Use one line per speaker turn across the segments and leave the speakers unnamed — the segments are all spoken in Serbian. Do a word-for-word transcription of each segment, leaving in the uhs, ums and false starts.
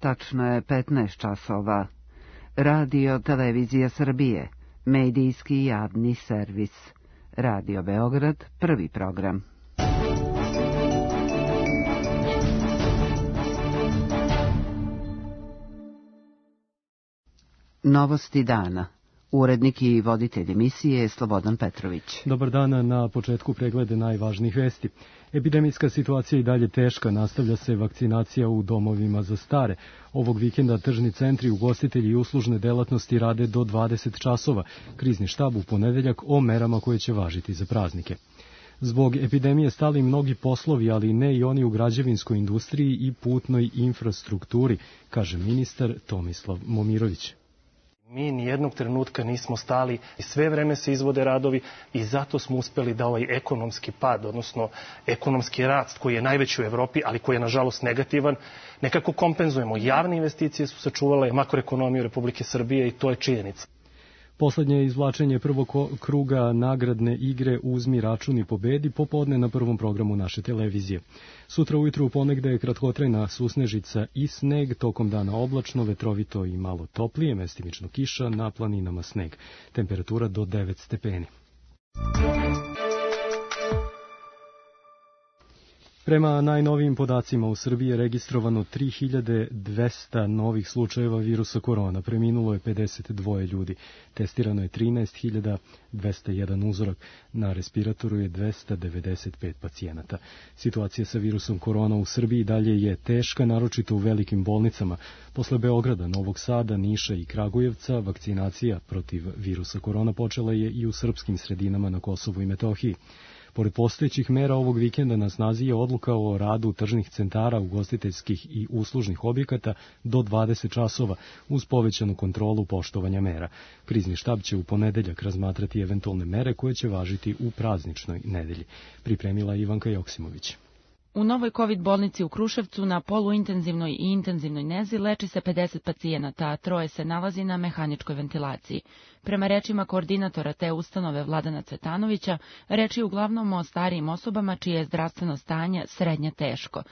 Tačno je petnaest časova. Radio Televizija Srbije, medijski javni servis. Radio Beograd, prvi program. Novosti dana. Urednik i voditelj emisije je Slobodan Petrović.
Dobar dan, na početku preglede najvažnijih vesti. Epidemijska situacija i dalje teška, nastavlja se vakcinacija u domovima za stare. Ovog vikenda tržni centri, ugostitelji i uslužne delatnosti rade do dvadeset časova. Krizni štab u ponedeljak o merama koje će važiti za praznike. Zbog epidemije stali mnogi poslovi, ali ne i oni u građevinskoj industriji i putnoj infrastrukturi, kaže ministar Tomislav Momirović.
Mi nijednog trenutka nismo stali i sve vreme se izvode radovi i zato smo uspeli da ovaj ekonomski pad, odnosno ekonomski rast koji je najveći u Evropi, ali koji je nažalost negativan, nekako kompenzujemo. Javne investicije su sačuvale makroekonomiju Republike Srbije i to je činjenica.
Poslednje izvlačenje prvog kruga nagradne igre Uzmi račun i pobedi popodne na prvom programu naše televizije. Sutra ujutru ponegde je kratkotrajna susnežica i sneg, tokom dana oblačno, vetrovito i malo toplije, mestimično kiša, na planinama sneg. Temperatura do devet stepeni. Prema najnovijim podacima u Srbiji je registrovano tri hiljade dvesta novih slučajeva virusa korona, preminulo je pedeset dva ljudi, testirano je trinaest hiljada dvesta jedan uzorak, na respiratoru je dvesta devedeset pet pacijenata. Situacija sa virusom korona u Srbiji dalje je teška, naročito u velikim bolnicama. Posle Beograda, Novog Sada, Niša i Kragujevca, vakcinacija protiv virusa korona počela je i u srpskim sredinama na Kosovu i Metohiji. Pored postojećih mera ovog vikenda na snazi je odluka o radu tržnih centara, ugostiteljskih i uslužnih objekata do dvadeset časova uz povećanu kontrolu poštovanja mera. Krizni štab će u ponedeljak razmatrati eventualne mere koje će važiti u prazničnoj nedelji. Pripremila Ivanka Joksimović.
U novoj COVID bolnici u Kruševcu na poluintenzivnoj i intenzivnoj nezi leči se pedeset pacijenata, a troje se nalazi na mehaničkoj ventilaciji. Prema rečima koordinatora te ustanove Vladana Cvetanovića, reč je uglavnom o starijim osobama čije je zdravstveno stanje srednje teško.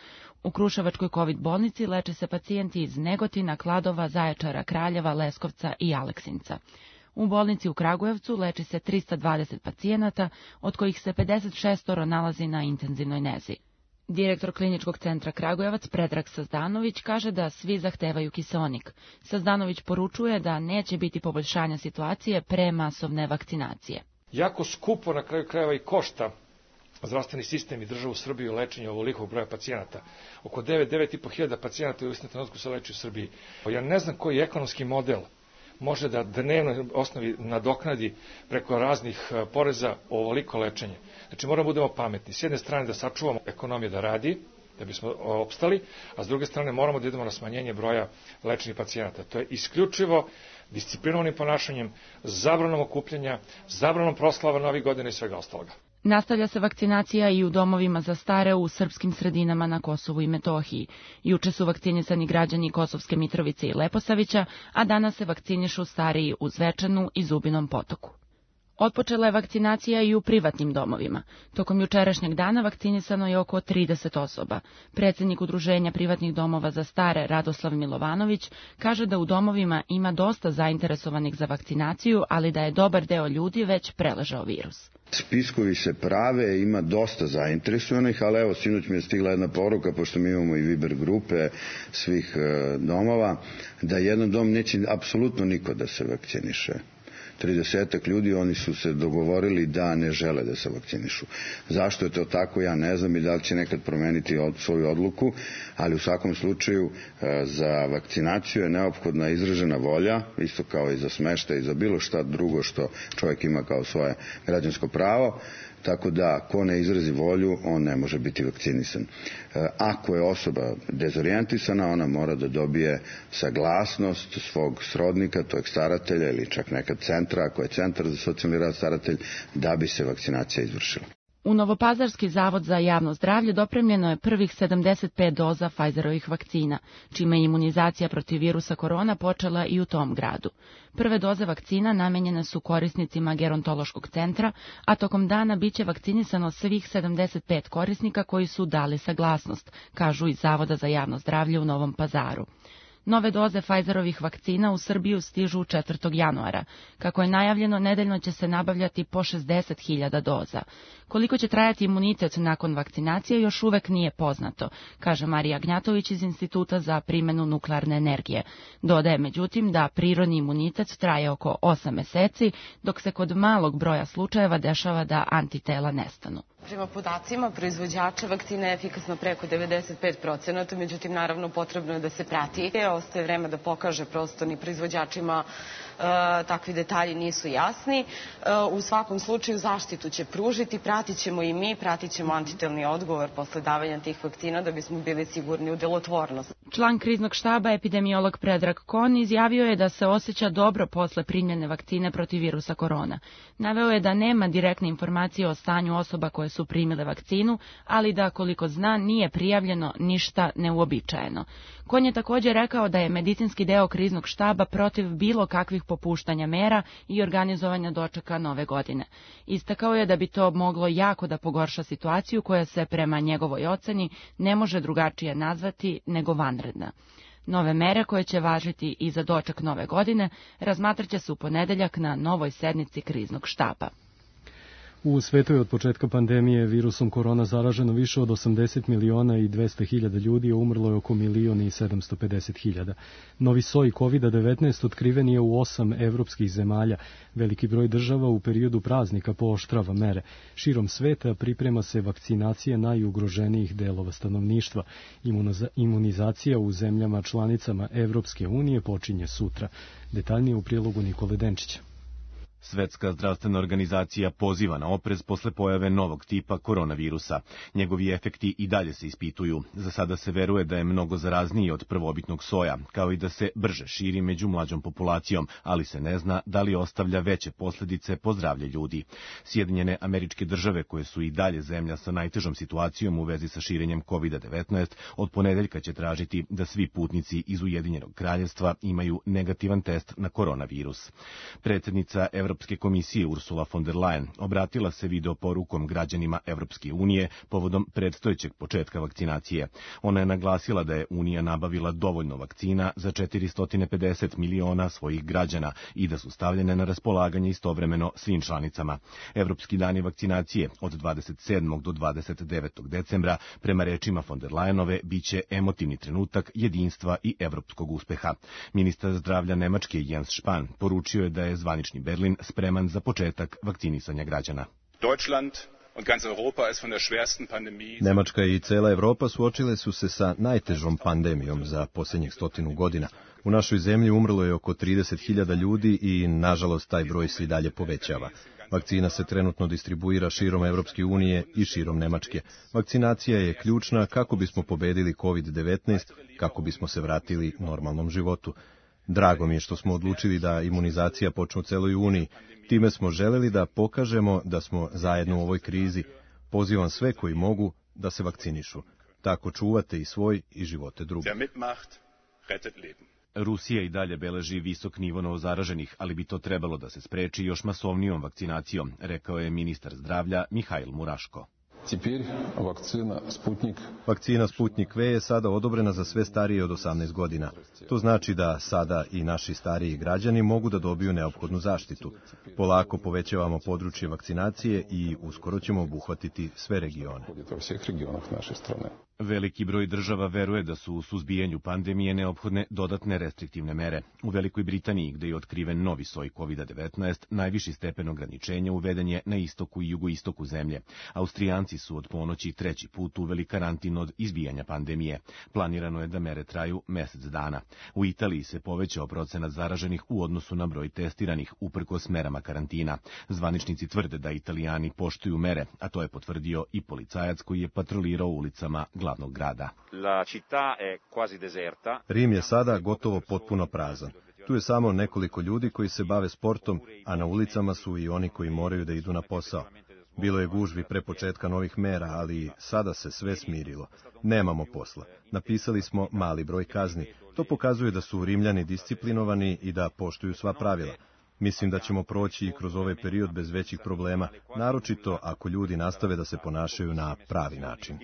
U Kruševačkoj COVID bolnici leče se pacijenti iz Negotina, Kladova, Zaječara, Kraljeva, Leskovca i Aleksinca. U bolnici u Kragujevcu leči se trista dvadeset pacijenata, od kojih se pedeset šest nalazi na intenzivnoj nezi. Direktor Kliničkog centra Kragujevac Predrag Sazdanović kaže da svi zahtevaju kiseonik. Sazdanović poručuje da neće biti poboljšanja situacije pre masovne vakcinacije.
Jako skupo na kraju krajeva i košta zdravstveni sistem i državu Srbiju lečenje ovolikog broja pacijenata. Oko devet do devet i po hiljada pacijenata u istom trenutku se leči u Srbiji. Ja ne znam koji ekonomski model može da dnevnoj osnovi nadoknadi preko raznih poreza ovoliko lečenje. Znači moramo budemo pametni. S jedne strane da sačuvamo ekonomiju da radi, da bismo opstali, a s druge strane moramo da idemo na smanjenje broja lečenih pacijenata. To je isključivo disciplinovanim ponašanjem, zabranom okupljanja, zabranom proslava Novih godina i svega ostaloga.
Nastavlja se vakcinacija i u domovima za stare u srpskim sredinama na Kosovu i Metohiji. Juče su vakcinisani građani Kosovske Mitrovice i Leposavića, a danas se vakcinišu stariji u Zvečanu i Zubinom Potoku. Otpočela je vakcinacija i u privatnim domovima. Tokom jučerašnjeg dana vakcinisano je oko trideset osoba. Predsednik Udruženja privatnih domova za stare Radoslav Milovanović kaže da u domovima ima dosta zainteresovanih za vakcinaciju, ali da je dobar deo ljudi već preležao virus.
Spiskovi se prave, ima dosta zainteresovanih, ali evo, sinoć mi je stigla jedna poruka, pošto mi imamo i Viber grupe svih domova, da jedan dom neće apsolutno niko da se vakciniše. tridesetak ljudi, oni su se dogovorili da ne žele da se vakcinišu. Zašto je to tako, ja ne znam i da li će nekad promeniti od, svoju odluku, ali u svakom slučaju za vakcinaciju je neophodna izražena volja, isto kao i za smeštaj i za bilo šta drugo što čovjek ima kao svoje građansko pravo, tako da ko ne izrazi volju, on ne može biti vakcinisan. Ako je osoba dezorijentisana, ona mora da dobije saglasnost svog srodnika, tog staratelja ili čak nekad centra, ako je centar za socijalni rad staratelj, da bi se vakcinacija izvršila.
U Novopazarski zavod za javno zdravlje dopremljeno je prvih sedamdeset pet doza Pfizerovih vakcina, čime je imunizacija protiv virusa korona počela i u tom gradu. Prve doze vakcina namenjene su korisnicima gerontološkog centra, a tokom dana biće vakcinisano svih sedamdeset pet korisnika koji su dali saglasnost, kažu iz Zavoda za javno zdravlje u Novom Pazaru. Nove doze Pfizerovih vakcina u Srbiju stižu četvrtog januara. Kako je najavljeno, nedeljno će se nabavljati po šezdeset hiljada doza. Koliko će trajati imunitet nakon vakcinacije još uvek nije poznato, kaže Marija Gnjatović iz Instituta za primjenu nuklearne energije. Dodaje međutim da prirodni imunitet traje oko osam meseci, dok se kod malog broja slučajeva dešava da antitela nestanu.
Prema podacima proizvođača vakcina je efikasna preko devedeset pet procenata, međutim naravno potrebno je da se prati. Ostaje vreme da pokaže, prosto ni proizvođačima e, takvi detalji nisu jasni. E, u svakom slučaju zaštitu će pružiti, pratit ćemo i mi, pratit ćemo antitelni odgovor posle davanja tih vakcina da bismo bili sigurni u delotvornost.
Član kriznog štaba, epidemiolog Predrag Kon, izjavio je da se osjeća dobro posle primljene vakcine protiv virusa korona. Naveo je da nema direktne informacije o stanju osoba koje su primile vakcinu, ali da, koliko zna, nije prijavljeno ništa neuobičajeno. Kon je također rekao da je medicinski deo kriznog štaba protiv bilo kakvih popuštanja mera i organizovanja dočeka nove godine. Istakao je da bi to moglo jako da pogorša situaciju koja se prema njegovoj oceni ne može drugačije nazvati nego vanredna. Nove mere koje će važiti i za doček nove godine razmatraće se u ponedeljak na novoj sednici kriznog štaba.
U svetu je od početka pandemije virusom korona zaraženo više od osamdeset miliona i dvesta hiljada ljudi, a umrlo je oko milion i sedamsto pedeset hiljada. Novi soj kovid devetnaest otkriven je u osam evropskih zemalja. Veliki broj država u periodu praznika pooštrava mere. Širom sveta priprema se vakcinacija najugroženijih delova stanovništva. Imunizacija u zemljama članicama Evropske unije počinje sutra. Detaljnije u prilogu Nikole Denčića.
Svetska zdravstvena organizacija poziva na oprez posle pojave novog tipa koronavirusa. Njegovi efekti i dalje se ispituju. Za sada se veruje da je mnogo zarazniji od prvobitnog soja, kao i da se brže širi među mlađom populacijom, ali se ne zna da li ostavlja veće posljedice po zdravlje ljudi. Sjedinjene Američke Države, koje su i dalje zemlja sa najtežom situacijom u vezi sa širenjem kovid devetnaest, od ponedeljka će tražiti da svi putnici iz Ujedinjenog kraljevstva imaju negativan test na koronavirus. Predsjednica Evropske komisije Ursula von der Leyen obratila se video porukom građanima Evropske unije povodom predstojećeg početka vakcinacije. Ona je naglasila da je Unija nabavila dovoljno vakcina za četiristo pedeset miliona svojih građana i da su stavljene na raspolaganje istovremeno svim članicama. Evropski dani vakcinacije od dvadeset sedmog do dvadeset devetog decembra, prema rečima von der Leyenove, biće emotivni trenutak jedinstva i evropskog uspeha. Ministar zdravlja Nemačke Jens Spahn poručio je da je zvanični Berlin spreman za početak vakcinisanja građana.
Nemačka i cela Evropa suočile su se sa najtežom pandemijom za posljednjih stotinu godina. U našoj zemlji umrlo je oko trideset hiljada ljudi i, nažalost, taj broj se i dalje povećava. Vakcina se trenutno distribuira širom Evropske unije i širom Nemačke. Vakcinacija je ključna kako bismo pobedili kovid devetnaest, kako bismo se vratili normalnom životu. Drago mi je što smo odlučili da imunizacija počne u celoj Uniji. Time smo želeli da pokažemo da smo zajedno u ovoj krizi. Pozivam sve koji mogu da se vakcinišu. Tako čuvate i svoj i živote drugih.
Rusija i dalje beleži visok nivo novozaraženih, ali bi to trebalo da se spreči još masovnijom vakcinacijom, rekao je ministar zdravlja Mihajl Muraško.
Vakcina Sputnik V je sada odobrena za sve starije od osamnaest godina. To znači da sada i naši stariji građani mogu da dobiju neophodnu zaštitu. Polako povećavamo područje vakcinacije i uskoro ćemo obuhvatiti sve regione.
Veliki broj država veruje da su u suzbijanju pandemije neophodne dodatne restriktivne mere. U Velikoj Britaniji, gde je otkriven novi soj kovid devetnaest, najviši stepen ograničenja uveden je na istoku i jugoistoku zemlje. Austrijanci su od ponoći treći put uveli karantin od izbijanja pandemije. Planirano je da mere traju mesec dana. U Italiji se povećao procenat zaraženih u odnosu na broj testiranih, uprkos merama karantina. Zvaničnici tvrde da Italijani poštuju mere, a to je potvrdio i policajac koji je patrolirao ulicama glavnog grada.
Rim je sada gotovo potpuno prazan. Tu je samo nekoliko ljudi koji se bave sportom, a na ulicama su i oni koji moraju da idu na posao. Bilo je gužvi pre početka novih mera, ali sada se sve smirilo. Nemamo posla. Napisali smo mali broj kazni. To pokazuje da su Rimljani disciplinovani i da poštuju sva pravila. Mislim da ćemo proći i kroz ovaj period bez većih problema, naročito ako ljudi nastave da se ponašaju na pravi način.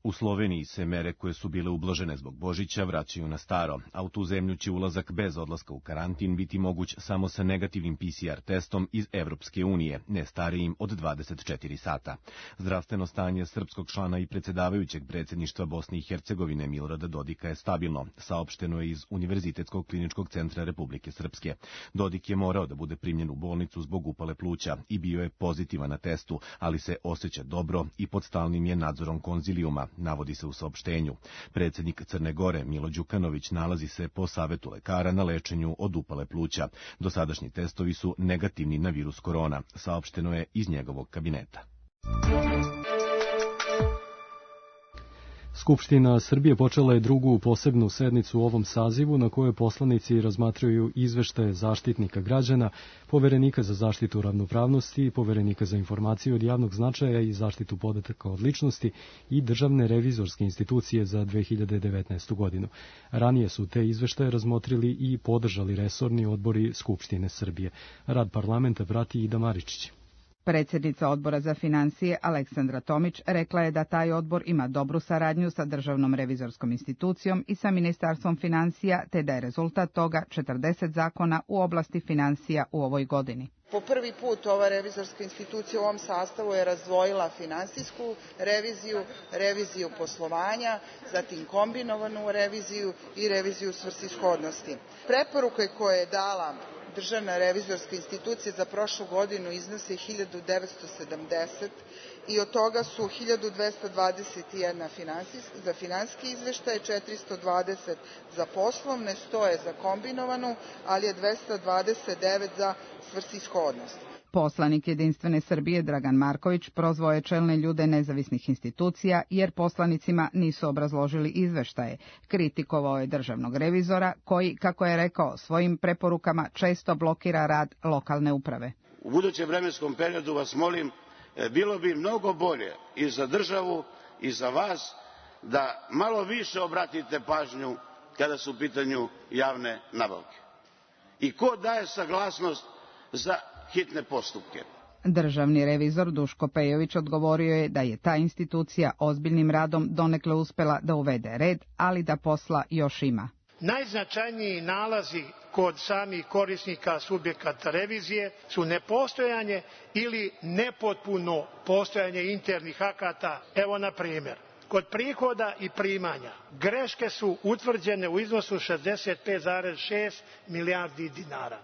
U Sloveniji se mere koje su bile ublažene zbog Božića vraćaju na staro, a u tu zemlju će ulazak bez odlaska u karantin biti moguć samo sa negativnim P C R testom iz Evropske unije, ne starijim od dvadeset četiri sata. Zdravstveno stanje srpskog člana i predsjedavajućeg predsjedništva Bosne i Hercegovine Milorada Dodika je stabilno, saopšteno je iz Univerzitetskog kliničkog centra Republike Srpske. Dodik je morao da bude primljen u bolnicu zbog upale pluća i bio je pozitivan na testu, ali se osjeća dobro i pod stalnim je nadzorom konzilijuma, navodi se u saopštenju. Predsjednik Crne Gore Milo Đukanović nalazi se po savetu lekara na lečenju od upale pluća. Dosadašnji testovi su negativni na virus korona, saopšteno je iz njegovog kabineta.
Skupština Srbije počela je drugu posebnu sednicu u ovom sazivu na kojoj poslanici razmatraju izveštaje Zaštitnika građana, Poverenika za zaštitu ravnopravnosti, Poverenika za informacije od javnog značaja i zaštitu podataka od ličnosti i Državne revizorske institucije za dve hiljade devetnaestu godinu. Ranije su te izveštaje razmotrili i podržali resorni odbori Skupštine Srbije. Rad parlamenta prati Ida Maričić.
Predsjednica odbora za financije Aleksandra Tomić rekla je da taj odbor ima dobru saradnju sa Državnom revizorskom institucijom i sa Ministarstvom financija, te da je rezultat toga četrdeset zakona u oblasti financija u ovoj godini.
Po prvi put ova revizorska institucija u ovom sastavu je razdvojila finansijsku reviziju, reviziju poslovanja, zatim kombinovanu reviziju i reviziju svrsishodnosti. Preporuke koje je dala Državna revizorska institucija za prošlu godinu iznose hiljadu devetsto sedamdeset i od toga su hiljadu dvesta dvadeset jedan za finansijski izveštaj, četiristo dvadeset za poslovne, sto je za kombinovanu, ali je dvesta dvadeset devet za svrsishodnost.
Poslanik Jedinstvene Srbije Dragan Marković prozvao je čelne ljude nezavisnih institucija jer poslanicima nisu obrazložili izveštaje. Kritikovao je državnog revizora koji, kako je rekao, svojim preporukama često blokira rad lokalne uprave.
U budućem vremenskom periodu vas molim, bilo bi mnogo bolje i za državu i za vas da malo više obratite pažnju kada su u pitanju javne nabavke. I ko daje saglasnost za hitne postupke?
Državni revizor Duško Pejović odgovorio je da je ta institucija ozbiljnim radom donekle uspela da uvede red, ali da posla još ima.
Najznačajniji nalazi kod samih korisnika subjekata revizije su nepostojanje ili nepotpuno postojanje internih akata. Evo na primjer, kod prihoda i primanja greške su utvrđene u iznosu šezdeset pet zarez šest milijardi dinara.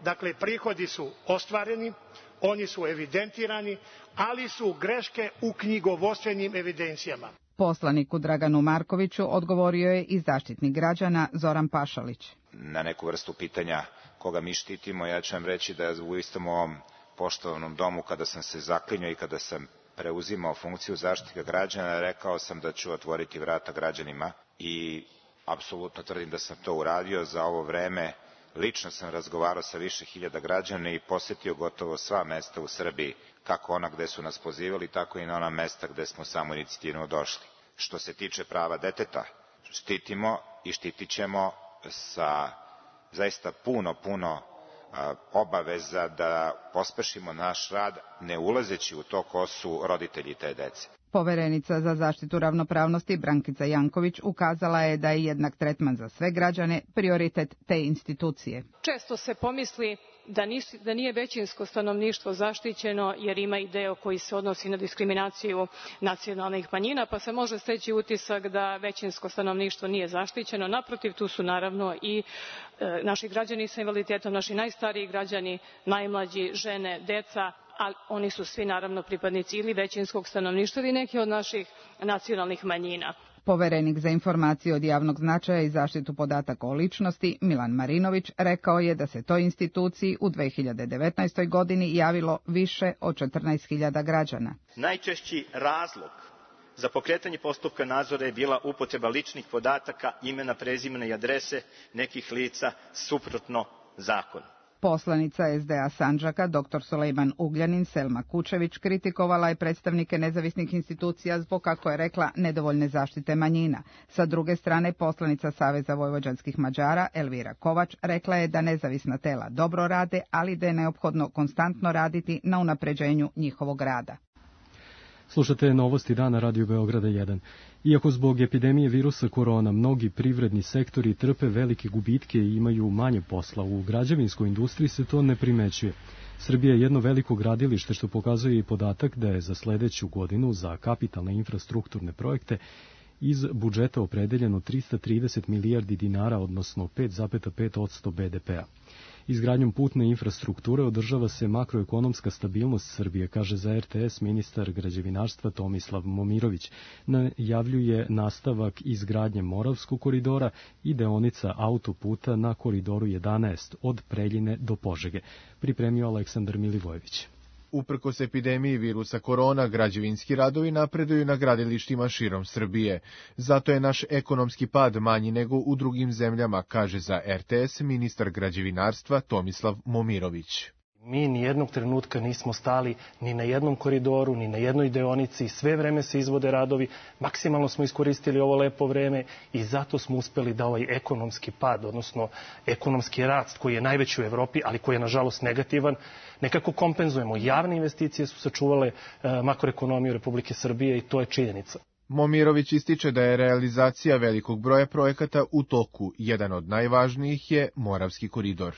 Dakle, prihodi su ostvareni, oni su evidentirani, ali su greške u knjigovodstvenim evidencijama.
Poslaniku Draganu Markoviću odgovorio je i zaštitnik građana Zoran Pašalić.
Na neku vrstu pitanja koga mi štitimo, ja ću vam reći da u istom ovom poštovanom domu, kada sam se zaklinjao i kada sam preuzimao funkciju zaštitnika građana, rekao sam da ću otvoriti vrata građanima i apsolutno tvrdim da sam to uradio. Za ovo vreme lično sam razgovarao sa više hiljada građana i posetio gotovo sva mesta u Srbiji, kako ona gde su nas pozivali, tako i na ona mesta gde smo samoinicijativno došli. Što se tiče prava deteta, štitimo i štitit ćemo sa zaista puno, puno obaveza da pospešimo naš rad, ne ulazeći u to ko su roditelji te dece.
Poverenica za zaštitu ravnopravnosti Brankica Janković ukazala je da je jednak tretman za sve građane prioritet te institucije.
Često se pomisli da, nis, da nije većinsko stanovništvo zaštićeno jer ima i deo koji se odnosi na diskriminaciju nacionalnih manjina, pa se može steći utisak da većinsko stanovništvo nije zaštićeno. Naprotiv, tu su naravno i e, naši građani sa invaliditetom, naši najstariji građani, najmlađi, žene, deca, ali oni su svi naravno pripadnici ili većinskog stanovništva ili neki od naših nacionalnih manjina.
Poverenik za informacije od javnog značaja i zaštitu podataka o ličnosti Milan Marinović rekao je da se toj instituciji u dve hiljade devetnaestoj godini javilo više od četrnaest hiljada građana.
Najčešći razlog za pokretanje postupka nadzora je bila upotreba ličnih podataka, imena, prezimena i adrese nekih lica suprotno zakonu.
Poslanica es de a Sandžaka, dr Sulejman Ugljanin Selma Kučević, kritikovala je predstavnike nezavisnih institucija zbog, kako je rekla, nedovoljne zaštite manjina. Sa druge strane, poslanica Saveza vojvođanskih Mađara Elvira Kovač rekla je da nezavisna tela dobro rade, ali da je neophodno konstantno raditi na unapređenju njihovog rada.
Slušate novosti dana Radio Beograda jedan. Iako zbog epidemije virusa korona mnogi privredni sektori trpe velike gubitke i imaju manje posla, u građevinskoj industriji se to ne primećuje. Srbija je jedno veliko gradilište, što pokazuje i podatak da je za sledeću godinu za kapitalne infrastrukturne projekte iz budžeta opredeljeno trista trideset milijardi dinara, odnosno pet zarez pet posto be de pe a. Izgradnjom putne infrastrukture održava se makroekonomska stabilnost Srbije, kaže za er te es ministar građevinarstva Tomislav Momirović. Najavljuje nastavak izgradnje Moravskog koridora i deonica autoputa na koridoru jedanaest od Preljine do Požege. Pripremio Aleksandar Milivojević.
Uprkos epidemiji virusa korona, građevinski radovi napreduju na gradilištima širom Srbije. Zato je naš ekonomski pad manji nego u drugim zemljama, kaže za er te es ministar građevinarstva Tomislav Momirović.
Mi ni jednog trenutka nismo stali ni na jednom koridoru, ni na jednoj deonici, sve vreme se izvode radovi, maksimalno smo iskoristili ovo lepo vreme i zato smo uspeli da ovaj ekonomski pad, odnosno ekonomski rast koji je najveći u Evropi, ali koji je nažalost negativan, nekako kompenzujemo. Javne investicije su sačuvale makroekonomiju Republike Srbije i to je činjenica.
Momirović ističe da je realizacija velikog broja projekata u toku. Jedan od najvažnijih je Moravski koridor.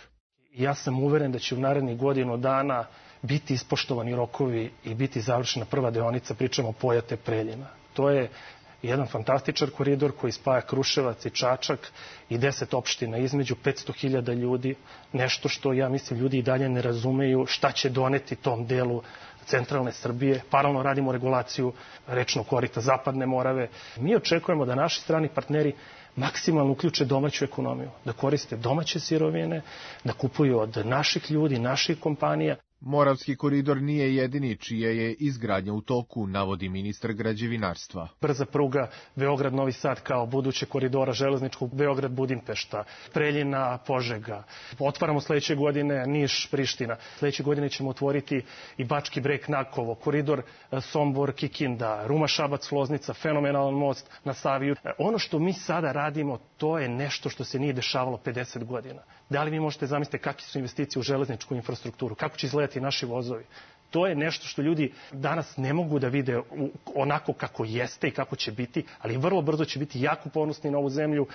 Ja sam uveren da će u narednih godinu dana biti ispoštovani rokovi i biti završena prva deonica, pričamo Pojate Preljina. To je jedan fantastičan koridor koji spaja Kruševac i Čačak i deset opština između petsto hiljada ljudi, nešto što ja mislim ljudi i dalje ne razumeju šta će doneti tom delu centralne Srbije. Paralelno radimo regulaciju rečnog korita Zapadne Morave. Mi očekujemo da naši strani partneri maksimalno uključe domaću ekonomiju, da koriste domaće sirovine, da kupuju od naših ljudi, naših kompanija.
Moravski koridor nije jedini čija je izgradnja u toku, navodi ministar građevinarstva.
Brza pruga Beograd-Novi Sad kao buduće koridora železničkog Beograd-Budimpešta, Preljina-Požega. Otvaramo sledeće godine Niš-Priština. Sledeće godine ćemo otvoriti i Bački Breg-Nakovo, koridor Sombor-Kikinda, Ruma-Šabac-Loznica, fenomenalan most na Savi. Ono što mi sada radimo, to je nešto što se nije dešavalo pedeset godina. Da li vi možete zamisliti kakve su investicije u železničku infrastrukturu, kako će izgledati naši vozovi? To je nešto što ljudi danas ne mogu da vide onako kako jeste i kako će biti, ali vrlo brzo će biti jako ponosni na ovu zemlju,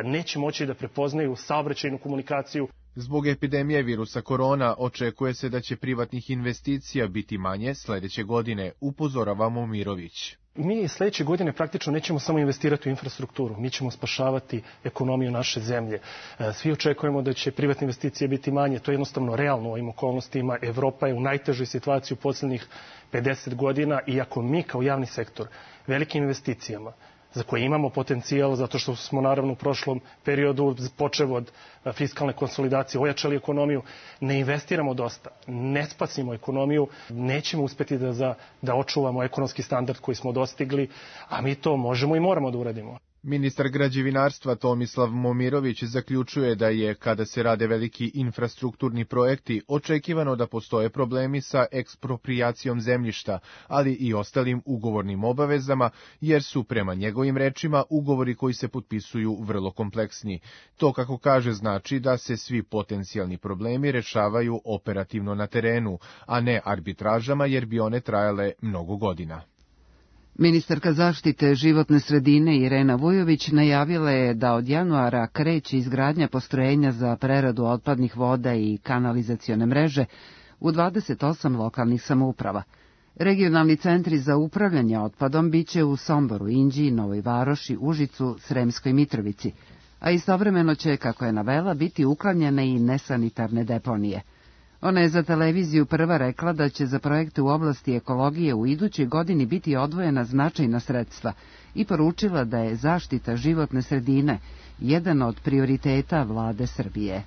neće moći da prepoznaju saobraćajnu komunikaciju.
Zbog epidemije virusa korona očekuje se da će privatnih investicija biti manje sledeće godine, upozorava Momirović.
Mi sledeće godine praktično nećemo samo investirati u infrastrukturu, mi ćemo spašavati ekonomiju naše zemlje. Svi očekujemo da će privatne investicije biti manje, to je jednostavno realno u ovim okolnostima. Evropa je u najtežoj situaciji u poslednjih pedeset godina i ako mi kao javni sektor velikim investicijama za koje imamo potencijal, zato što smo naravno u prošlom periodu, počev od fiskalne konsolidacije, ojačali ekonomiju, ne investiramo dosta, ne spasimo ekonomiju, nećemo uspeti da, za, da očuvamo ekonomski standard koji smo dostigli, a mi to možemo i moramo da uradimo.
Ministar građevinarstva Tomislav Momirović zaključuje da je, kada se rade veliki infrastrukturni projekti, očekivano da postoje problemi sa eksproprijacijom zemljišta, ali i ostalim ugovornim obavezama, jer su, prema njegovim rečima, ugovori koji se potpisuju vrlo kompleksni. To, kako kaže, znači da se svi potencijalni problemi rešavaju operativno na terenu, a ne arbitražama, jer bi one trajale mnogo godina.
Ministarka zaštite životne sredine Irena Vujović najavila je da od januara kreće izgradnja postrojenja za preradu otpadnih voda i kanalizacione mreže u dvadeset osam lokalnih samouprava. Regionalni centri za upravljanje otpadom biće u Somboru, Inđiji, Novoj Varoši, Užicu, Sremskoj Mitrovici, a istovremeno će, kako je navela, biti uklanjene i nesanitarne deponije. Ona je za televiziju prva rekla da će za projekte u oblasti ekologije u idućoj godini biti odvojena značajna sredstva i poručila da je zaštita životne sredine jedan od prioriteta vlade Srbije.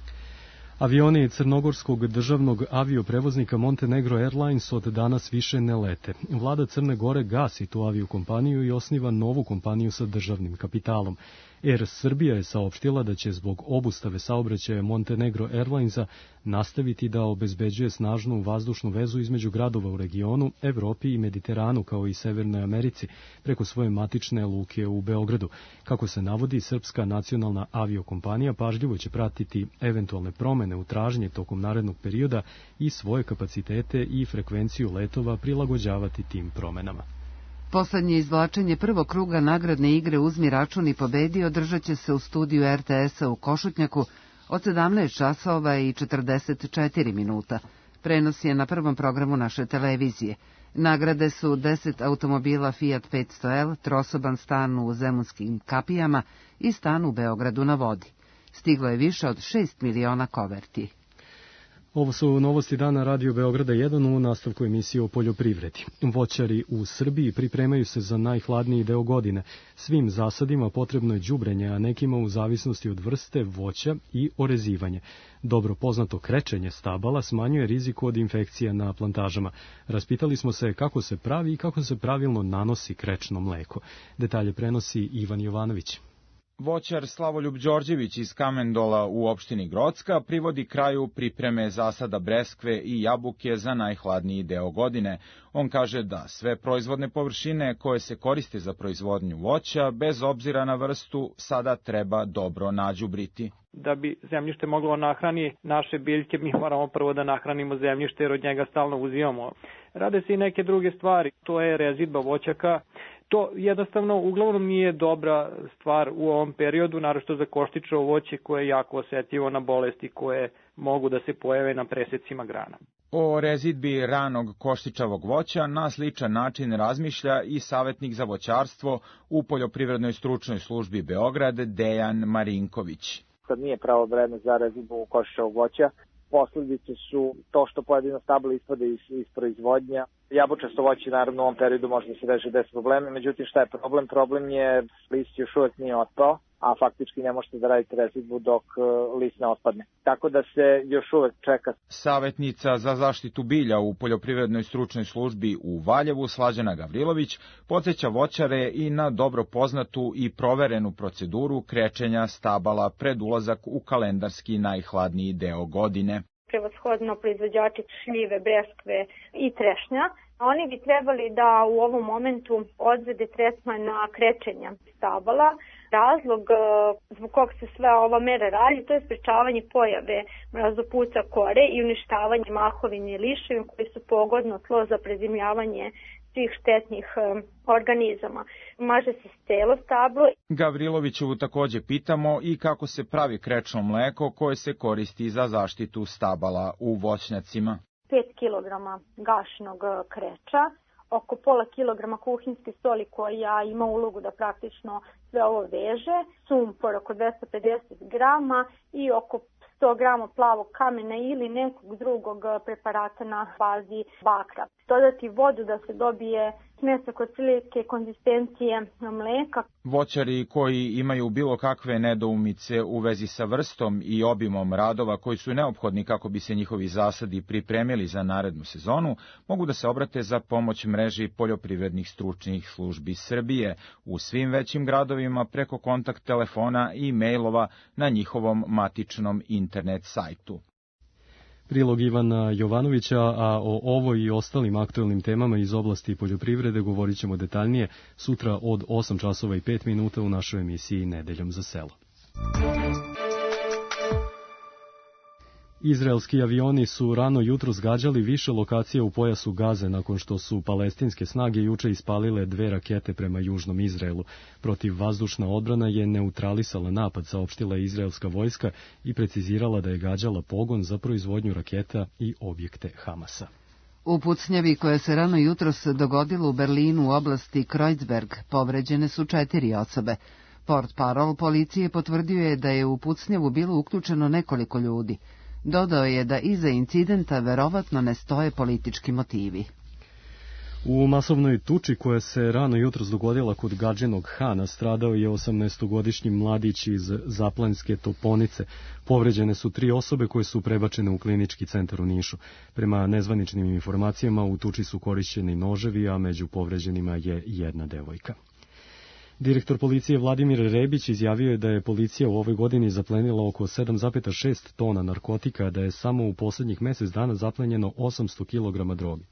Avioni crnogorskog državnog avioprevoznika Montenegro Airlines od danas više ne lete. Vlada Crne Gore gasi tu aviokompaniju i osniva novu kompaniju sa državnim kapitalom. Air Srbija je saopštila da će zbog obustave saobraćaja Montenegro Airlinesa nastaviti da obezbeđuje snažnu vazdušnu vezu između gradova u regionu, Evropi i Mediteranu, kao i Severnoj Americi, preko svoje matične luke u Beogradu. Kako se navodi, srpska nacionalna aviokompanija pažljivo će pratiti eventualne promene u tražnje tokom narednog perioda i svoje kapacitete i frekvenciju letova prilagođavati tim promenama.
Poslednje izvlačenje prvog kruga nagradne igre Uzmi račun i pobedi održat će se u studiju er te esa u Košutnjaku od sedamnaest časova i četrdeset četiri minuta. Prenos je na prvom programu naše televizije. Nagrade su deset automobila Fiat petsto el, trosoban stan u Zemunskim kapijama i stan u Beogradu na vodi. Stiglo je više od šest miliona koverti.
Ovo su novosti dana Radio Beograda jedan u nastavku emisije o poljoprivredi. Voćari u Srbiji pripremaju se za najhladniji deo godine. Svim zasadima potrebno je đubrenje, a nekima u zavisnosti od vrste voća i orezivanje. Dobro poznato krečenje stabala smanjuje rizik od infekcija na plantažama. Raspitali smo se kako se pravi i kako se pravilno nanosi krečno mleko. Detalje prenosi Ivan Jovanović.
Voćar Slavoljub Đorđević iz Kamendola u opštini Grocka privodi kraju pripreme zasada breskve i jabuke za najhladniji deo godine. On kaže da sve proizvodne površine koje se koriste za proizvodnju voća, bez obzira na vrstu, sada treba dobro nađubriti.
Da bi zemljište moglo nahrani naše biljke, mi moramo prvo da nahranimo zemljište jer od njega stalno uzimamo. Rade se i neke druge stvari, to je rezidba voćaka. To jednostavno uglavnom nije dobra stvar u ovom periodu, naročito za koštičavo voće koje je jako osetljivo na bolesti koje mogu da se pojave na presecima grana.
O rezidbi ranog koštičavog voća na sličan način razmišlja i savjetnik za voćarstvo u Poljoprivrednoj stručnoj službi Beograd Dejan Marinković.
Kad nije pravo vreme za rezidbu koštičavog voća, posljedice su to što pojedino stablo ispade iz, iz proizvodnja. Jabučasto voće naravno u ovom periodu može da se reši bez problema, međutim šta je problem? Problem je list još uvek nije otpao, a faktički ne možete da radite rezidbu dok list ne otpadne. Tako da se još uvek čeka.
Savjetnica za zaštitu bilja u Poljoprivrednoj stručnoj službi u Valjevu Slađana Gavrilović podsjeća voćare i na dobro poznatu i proverenu proceduru krečenja stabala pred ulazak u kalendarski najhladniji deo godine.
Prevashodno proizvođači šljive, breskve i trešnja. Oni bi trebali da u ovom momentu odvede tretman na krečenja stabala. Razlog zbog kog se sve ova mera radi, to je sprečavanje pojave mrazopuca kore i uništavanje mahovine i liševine koji su pogodno tlo za prezimljavanje svih štetnih organizama. Maže se celo stablo.
Gavrilovićevu takođe pitamo i kako se pravi krečno mleko koje se koristi za zaštitu stabala u voćnjacima.
pet kilograma gašinog kreča, oko pola kilograma kuhinjske soli koja ima ulogu da praktično sve ovo veže, sumpor oko dvesta pedeset grama i oko sto grama plavog kamena ili nekog drugog preparata na bazi bakra. Dodati vodu da se dobije smesak otprilike konzistencije mleka.
Voćari koji imaju bilo kakve nedoumice u vezi sa vrstom i obimom radova koji su neophodni kako bi se njihovi zasadi pripremili za narednu sezonu, mogu da se obrate za pomoć mreži poljoprivrednih stručnih službi Srbije u svim većim gradovima preko kontakt telefona i mailova na njihovom matičnom internet sajtu.
Prilog Ivana Jovanovića, a o ovoj i ostalim aktuelnim temama iz oblasti poljoprivrede govorit ćemo detaljnije sutra od osam časova i pet minuta u našoj emisiji Nedeljom za selo. Izraelski avioni su rano jutro zgađali više lokacija u pojasu Gaze nakon što su palestinske snage juče ispalile dve rakete prema južnom Izraelu. Protivvazdušna odbrana je neutralisala napad, saopštila je izraelska vojska i precizirala da je gađala pogon za proizvodnju raketa i objekte Hamasa.
U pucnjavi koja se rano jutros dogodila u Berlinu u oblasti Kreuzberg povređene su četiri osobe. Portparol policije potvrdio je da je u pucnjavu bilo uključeno nekoliko ljudi. Dodao je da iza incidenta verovatno ne stoje politički motivi.
U masovnoj tuči koja se rano jutros dogodila kod Gadžinog Hana stradao je osamnaestogodišnji mladić iz Zaplanjske Toponice. Povređene su tri osobe koje su prebačene u klinički centar u Nišu. Prema nezvaničnim informacijama u tuči su korišćeni noževi, a među povređenima je jedna devojka. Direktor policije Vladimir Rebić izjavio je da je policija u ovoj godini zaplenila oko sedam zarez šest tona narkotika, a da je samo u poslednjih mesec dana zaplenjeno osamsto kilograma droge.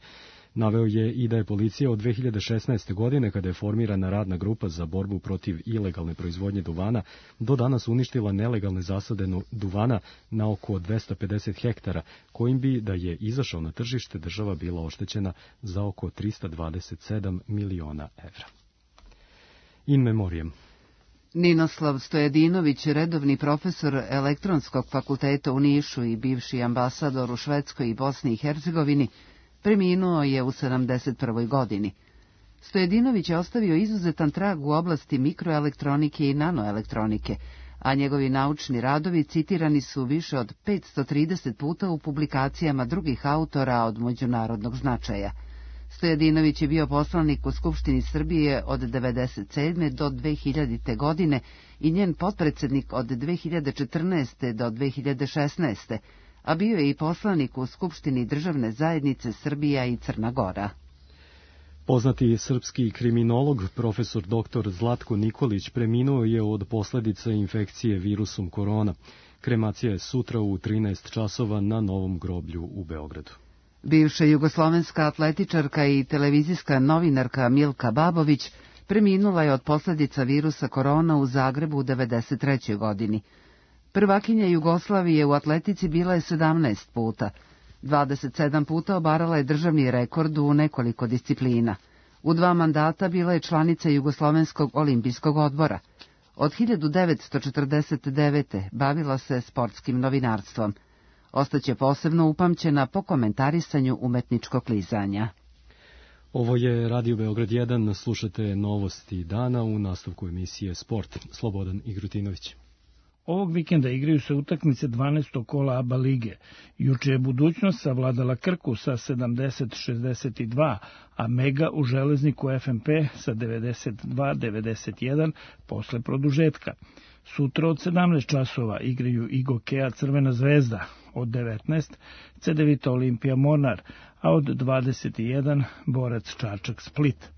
Naveo je i da je policija od dve hiljade šesnaeste. godine, kada je formirana radna grupa za borbu protiv ilegalne proizvodnje duvana, do danas uništila nelegalne zasade duvana na oko dvesta pedeset hektara, kojim bi, da je izašao na tržište, država bila oštećena za oko trista dvadeset sedam miliona evra. In memoriam.
Ninoslav Stojadinović, redovni profesor Elektronskog fakulteta u Nišu i bivši ambasador u Švedskoj i Bosni i Hercegovini, preminuo je u sedamdeset prvoj. godini. Stojadinović je ostavio izuzetan trag u oblasti mikroelektronike i nanoelektronike, a njegovi naučni radovi citirani su više od petsto trideset puta u publikacijama drugih autora od međunarodnog značaja. Stojadinović je bio poslanik u Skupštini Srbije od devedeset sedme. do dve hiljadite. godine i njen potpredsednik od dve hiljade četrnaeste. do dve hiljade šesnaeste. a bio je i poslanik u Skupštini državne zajednice Srbija i Crna Gora.
Poznati srpski kriminolog, profesor doktor Zlatko Nikolić, preminuo je od posledica infekcije virusom korona. Kremacija je sutra u trinaest časova na Novom groblju u Beogradu.
Bivša jugoslovenska atletičarka i televizijska novinarka Milka Babović preminula je od posledica virusa korona u Zagrebu u devedeset trećoj. godini. Prvakinja Jugoslavije u atletici bila je sedamnaest puta. dvadeset sedam puta obarala je državni rekord u nekoliko disciplina. U dva mandata bila je članica Jugoslovenskog olimpijskog odbora. Od hiljadu devetsto četrdeset devete. bavila se sportskim novinarstvom. Ostaće posebno upamćena po komentarisanju umetničkog klizanja.
Ovo je Radio Beograd jedan, slušate novosti dana u nastavku emisije Sport. Slobodan Igrutinović.
Ovog vikenda igraju se utakmice dvanaestog kola A B A lige. Juče je Budućnost savladala Krku sa sedamdeset šezdeset dva, a Mega u Železniku F M P sa devedeset dva devedeset jedan posle produžetka. Sutra od sedamnaest časova igraju i Gokea Crvena zvezda, od devetnaest Cedevita Olimpija Mornar, a od dvadeset jedan Borac Čačak Split.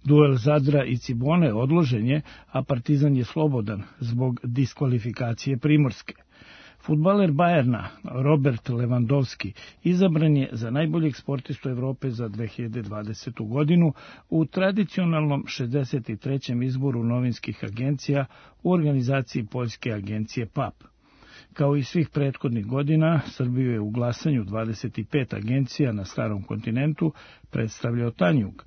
Duel Zadra i Cibone odložen je, a Partizan je slobodan zbog diskvalifikacije Primorske. Fudbaler Bajerna Robert Lewandowski izabran je za najboljeg sportistu Evrope za dve hiljade dvadesetu. godinu u tradicionalnom šezdeset trećem izboru novinskih agencija u organizaciji poljske agencije P A P. Kao i svih prethodnih godina, Srbiju je u glasanju dvadeset pet agencija na starom kontinentu predstavljao Tanjug.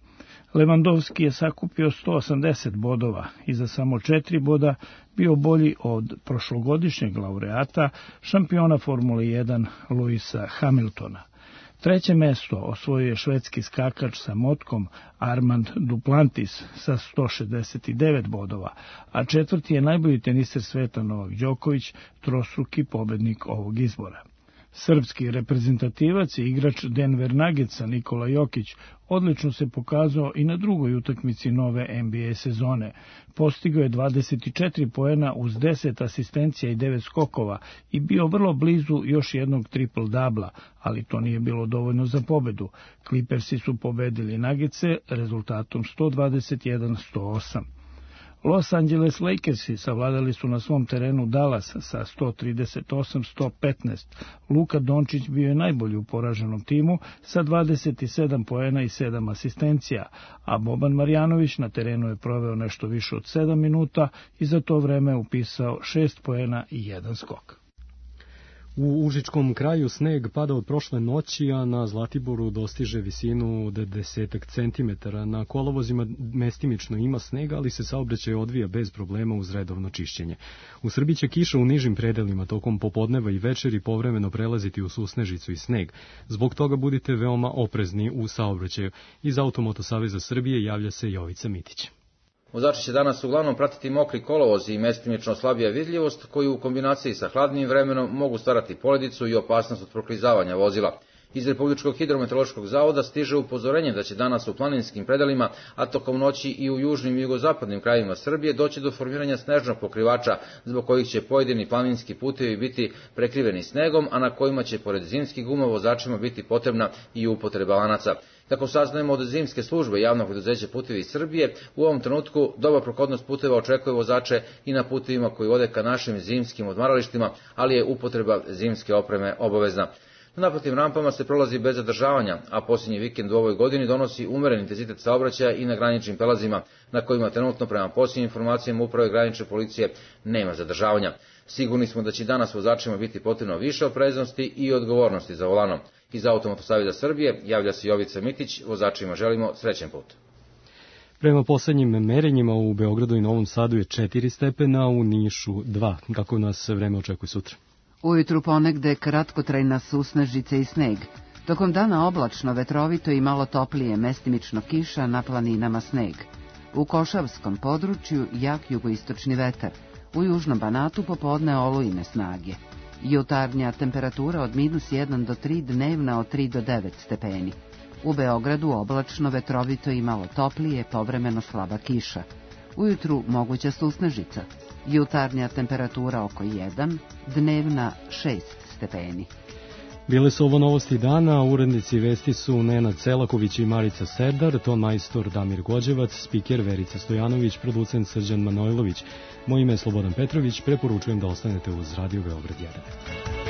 Lewandowski je sakupio sto osamdeset bodova i za samo četiri boda bio bolji od prošlogodišnjeg laureata, šampiona Formule jedan Lewisa Hamiltona. Treće mesto osvojio je švedski skakač sa motkom Armand Duplantis sa sto šezdeset devet bodova, a četvrti je najbolji teniser sveta Novak Đoković, trostruki pobednik ovog izbora. Srpski reprezentativac i igrač Denver Nuggetsa Nikola Jokić odlično se pokazao i na drugoj utakmici nove N B A sezone. Postigao je dvadeset četiri poena uz deset asistencija i devet skokova i bio vrlo blizu još jednog triple-dubla, ali to nije bilo dovoljno za pobedu. Clippersi su pobedili Nuggetse rezultatom sto dvadeset jedan sto osam. Los Angeles Lakersi savladali su na svom terenu Dallas sa sto trideset osam sto petnaest. Luka Dončić bio je najbolji u poraženom timu sa dvadeset sedam poena i sedam asistencija, a Boban Marjanović na terenu je proveo nešto više od sedam minuta i za to vreme upisao šest poena i jedan skok.
U Užičkom kraju sneg pada od prošle noći, a na Zlatiboru dostiže visinu od desetak centimetara. Na kolovozima mestimično ima snega, ali se saobraćaj odvija bez problema uz redovno čišćenje. U Srbiji će kiša u nižim predelima tokom popodneva i večeri povremeno prelaziti u susnežicu i sneg. Zbog toga budite veoma oprezni u saobraćaju. Iz Automoto Saveza Srbije javlja se Jovica Mitić.
Vozači će danas uglavnom pratiti mokri kolovoz i mestimično slabija vidljivost, koji u kombinaciji sa hladnim vremenom mogu stvarati poledicu i opasnost od proklizavanja vozila. Iz Republičkog hidrometeorološkog zavoda stiže upozorenje da će danas u planinskim predelima, a tokom noći i u južnim i jugozapadnim krajevima Srbije doći do formiranja snežnog pokrivača, zbog kojih će pojedini planinski putevi biti prekriveni snegom, a na kojima će pored zimskih guma vozačima biti potrebna i upotreba lanaca. Kako saznajemo od zimske službe javnog preduzeća Putevi Srbije, u ovom trenutku dobra prohodnost puteva očekuje vozače i na putevima koji vode ka našim zimskim odmaralištima, ali je upotreba zimske opreme obavezna. Na naplatnim rampama se prolazi bez zadržavanja, a posljednji vikend u ovoj godini donosi umeren intenzitet saobraćaja i na graničnim prelazima, na kojima trenutno prema posljednjim informacijama uprave granične policije nema zadržavanja. Sigurni smo da će danas vozačima biti potrebno više opreznosti i odgovornosti za volanom. Iz Automotosaveza Srbije javlja se Jovica Mitić, vozačima želimo srećen put.
Prema poslednjim merenjima u Beogradu i Novom Sadu je četiri stepena, u Nišu dva. Kako nas vreme očekuje sutra?
Ujutru ponegde kratkotrajna susnežice i sneg. Tokom dana oblačno, vetrovito i malo toplije, mestimično kiša, na planinama sneg. U Košavskom području jak jugoistočni vetar. U južnom Banatu popodne olujne snage. Jutarnja temperatura od minus jedan do tri, dnevna od tri do devet stepeni. U Beogradu oblačno, vetrovito i malo toplije, povremeno slaba kiša. Ujutru moguća susnežica. Jutarnja temperatura oko jedan, dnevna šest stepeni.
Bile su ovo novosti dana, urednici vesti su Nenad Selaković i Marica Serdar, ton majstor Damir Gođevac, spiker Verica Stojanović, producent Srđan Manojlović. Moje ime je Slobodan Petrović, preporučujem da ostanete uz Radio Beograd jedan.